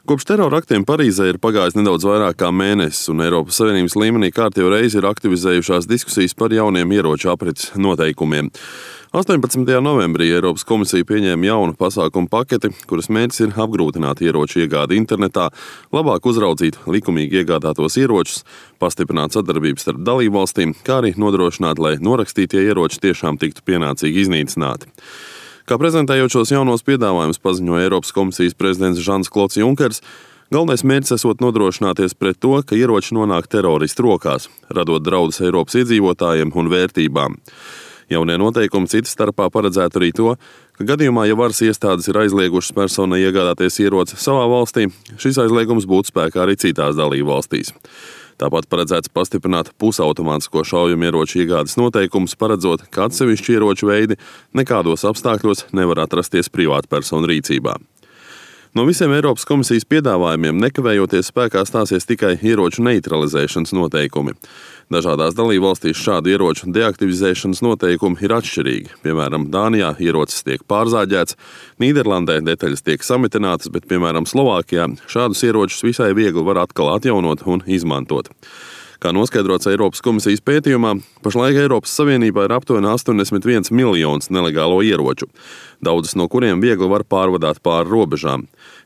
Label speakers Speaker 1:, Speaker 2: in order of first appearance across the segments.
Speaker 1: Kopš terora aktiem Parīzē ir pagājis nedaudz vairāk kā mēnesis, un Eiropas Savienības līmenī kārtējo reizi ir aktivizējušās diskusijas par jauniem ieroču aprits noteikumiem. 18. novembrī Eiropas komisija pieņēma jaunu pasākumu paketi, kuras mērķis ir apgrūtināt ieroču iegādi internetā, labāk uzraudzīt likumīgi iegādātos ieročus, pastiprināt sadarbību starp dalībvalstīm, kā arī nodrošināt, lai norakstītie ieroči tiešām tiktu pienācīgi iznīcināti. Kā prezentējot šos jaunos piedāvājumus paziņoja Eiropas komisijas prezidents Žans-Klods Junkers, galvenais mērķis esot nodrošināties pret to, ka ieroči nonāk teroristu rokās, radot draudus Eiropas iedzīvotājiem un vērtībām. Jaunie noteikumi citas starpā paredzētu arī to, ka gadījumā, ja varas iestādes ir aizliegušas personai iegādāties ieroci savā valstī, šis aizliegums būtu spēkā arī citās dalībvalstīs. Tāpat paredzēts pastiprināt pusautomātisko šaujamieroču iegādes noteikumus, paredzot, ka atsevišķi ieroču veidi nekādos apstākļos nevar atrasties privātpersonu rīcībā. No visiem Eiropas komisijas piedāvājumiem nekavējoties spēkā stāsies tikai ieroču neutralizēšanas noteikumi. Dažādās dalībvalstīs šādu ieroču deaktivizēšanas noteikumi ir atšķirīgi. Piemēram, Dānijā ierocis tiek pārzāģēts, Nīderlandē detaļas tiek samitinātas, bet, piemēram, Slovākijā šādus ieročus visai viegli var atkal atjaunot un izmantot. Kā noskaidrots Eiropas komisijas pētījumā, pašlaik Eiropas Savienībā ir aptuveni 81 miljonus nelegālo ieroču, daudzas no kuriem viegli var pārvadāt pāri robežām.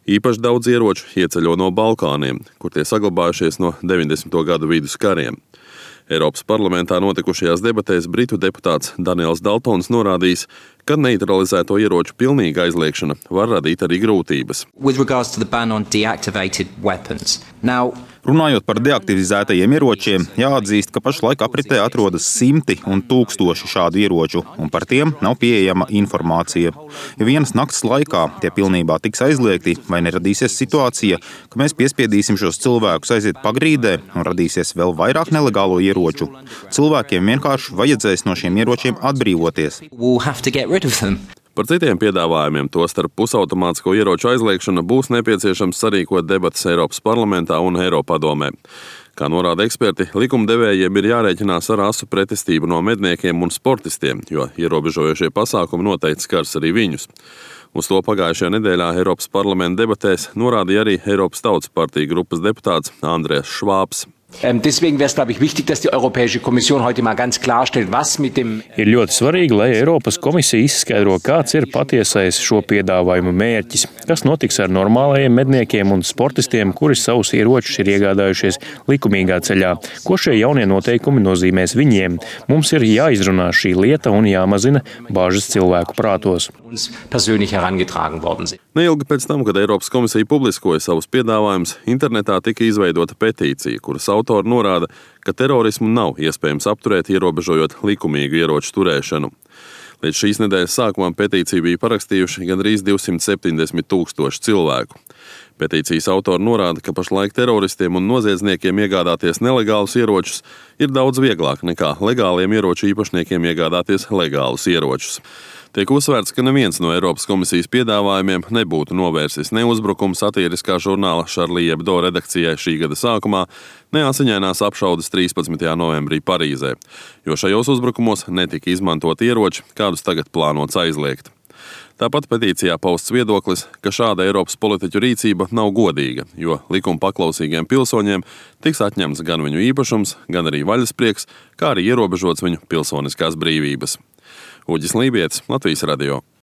Speaker 1: Īpaši daudz ieroču ieceļo no Balkāniem, kur tie saglabājušies no 90. gadu vidus kariem. Eiropas parlamentā notikušajās debatēs britu deputāts Daniels Daltons norādījis, ka neutralizēto ieroču pilnīga aizliegšana var radīt arī grūtības.
Speaker 2: Runājot par deaktivizētajiem ieročiem, jāatzīst, ka pašlaik apritē atrodas simti un tūkstoši šādu ieroču, un par tiem nav pieejama informācija. Ja vienas nakts laikā tie pilnībā tiks aizliegti, vai neradīsies situācija, ka mēs piespiedīsim šos cilvēkus aiziet pagrīdē un radīsies vēl vairāk nelegālo ieroču. Cilvēkiem vienkārši vajadzēs no šiem ieročiem atbrīvoties.
Speaker 1: Par citiem piedāvājumiem, tostarp pusautomātisko ieroču aizliegšanu, būs nepieciešams sarīkot debatas Eiropas parlamentā un Eiropadomē. Kā norāda eksperti, likumdevējiem ir jārēķinās ar asu pretestību no medniekiem un sportistiem, jo ierobežojošie pasākumi noteikti skars arī viņus. Uz to pagājušajā nedēļā Eiropas parlamenta debatēs norādīja arī Eiropas Tautas partija grupas deputāts Andrēs Švābs.
Speaker 3: Deswegen wäre es, glaube ich, wichtig, dass die Europäische Kommission heute mal ganz klarstellt, was mit dem...
Speaker 4: Ir ļoti svarīgi, lai Eiropas komisija izskaidro, kāds ir patiesais šo piedāvājumu mērķis, kas notiks ar normālajiem medniekiem un sportistiem, kuri savus ieročus ir iegādājušies likumīgā ceļā, ko šie jaunie noteikumi nozīmēs viņiem. Mums ir jāizrunā šī lieta un jāmazina bāžas cilvēku prātos.
Speaker 1: Neilgi pēc tam, kad Eiropas komisija publiskoja savus piedāvājumus, internetā tika izveidota petīcija, kuras autori norāda, ka terorismu nav iespējams apturēt, ierobežojot likumīgu ieroču turēšanu. Līdz šīs nedēļas sākumam petīciju bija parakstījuši gandrīz 270,000 cilvēku. Petīcijas autori norāda, ka pašlaik teroristiem un noziedzniekiem iegādāties nelegālus ieročus ir daudz vieglāk nekā legāliem ieroču īpašniekiem iegādāties legālus ieročus. Tiek uzsvērts, ka neviens no Eiropas komisijas piedāvājumiem nebūtu novērsis ne uzbrukumu satiriskā žurnāla Charlie Hebdo redakcijai šī gada sākumā, ne asiņainās apšaudes 13. novembrī Parīzē, jo šajos uzbrukumos netika izmantot ieroči, kādus tagad plānots aizliegt. Tāpat petīcijā pausts viedoklis, ka šāda Eiropas politiķu rīcība nav godīga, jo likuma paklausīgiem pilsoņiem tiks atņemts gan viņu īpašums, gan arī vaļasprieks, kā arī ierobežots viņu pilsoniskās brīvības. Uģis Lībietis, Latvijas radio.